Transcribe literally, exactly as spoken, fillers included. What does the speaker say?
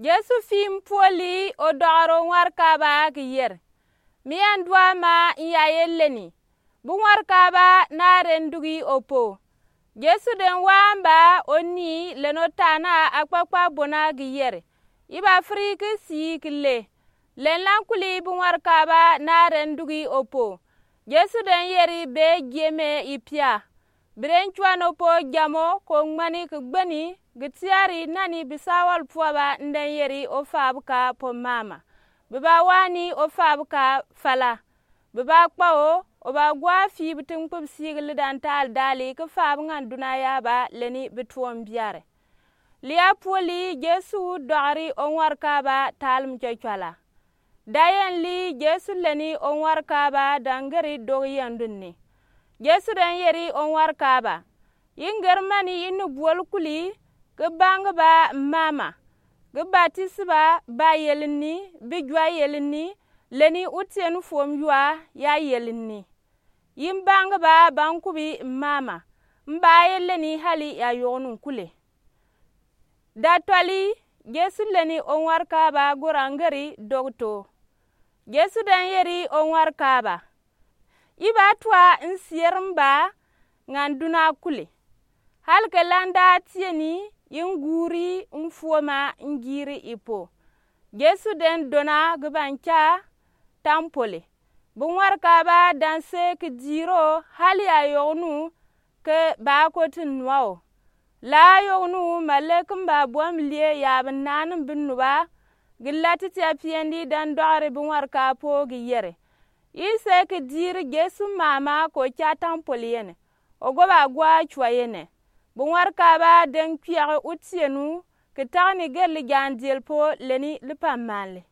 Jesu fii mpuoli, odɔgɔri oŋwarkaaba ki yeri, Mian duama n ya ye leni, bi ŋwarkaaba nare ndugi opo. Jesu den wamba onii leni otana akpakpa bona ki yeri, I bafiri ki sii ki le, Lenlan kuli bi ŋwarkaaba nare ndugi opo. Jesu den yeri bee gieme ipia. Bi den cuane opo jamo ko ŋmani ki gbeni, gi tiari nani bisawal puaba n den yeri ofaabuka po mama. Bi ba wani ofaabuka fala. Bi ba kpao, o ba gua fii bi ti ŋkpibisi gi lidan taal dali ki faabu ŋan duna yaba leni bi tuombiare. Lia puoli Jesu dɔgɔri oŋwarkaaba taal mucɔcuala. Dayenli Jesu leni oŋwarkaaba dangeri dɔgi yendunni. Jesu den yeri oŋwarkaaba, I ngeri mani ini buol kuli, ki bangi ba mama, ki batisi ba ba yelinni, bi jua yelinni, leni utienu fuom yua ya yelinni. I mbangi ba bankubi mama, mba ye leni hali ya yɔgnu kule. Datɔli Jesu leni oŋwarkaaba gora ngeri dɔgi too. Jesu den yeri oŋwarkaaba, I ba tua n sier mba ŋan duna kule. Hali ke landa tieni, I nguuri n fuoma n giiri ipo. Jesu den dona gi banca tampole. Bi ŋwarkaaba danse ki diiro hali ya yɔgnu ke ba koti nua o. La yɔgnu male ki mba buam lie ya bi naan bi nuba, gi lati ti apiɛndi dan dɔgɔri bi ŋwarkaaba po gi yere, I se ki diiri Jesu mama ko ca tampole yene, ogo ba gua cua yene. Bi ŋwarkaaba den kpiɛge utienu ki tageni gerli jaan diel po leni lipan manle.